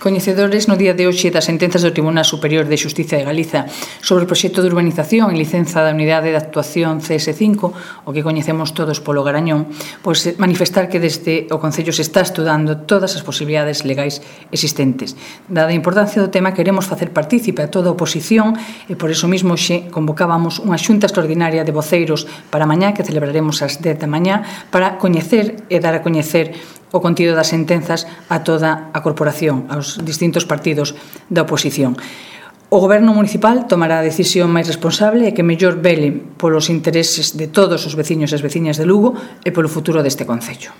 Coñecedores no día de hoxe das sentenzas do Tribunal Superior de Xustiza de Galiza sobre o proxecto de urbanización e licenza da Unidade de Actuación CS5, o que coñecemos todos polo Garañón, pois manifestar que desde o Concello se está estudando todas as posibilidades legais existentes. Dada a importancia do tema, queremos facer partícipe a toda a oposición e por iso mesmo xe convocábamos unha xunta extraordinaria de voceiros para mañá, que celebraremos ás 10 da mañá, para coñecer e dar a coñecer o contido das sentenzas a toda a corporación, aos distintos partidos da oposición. O Goberno municipal tomará a decisión máis responsable e que mellor vele polos intereses de todos os veciños e as veciñas de Lugo e polo futuro deste concello.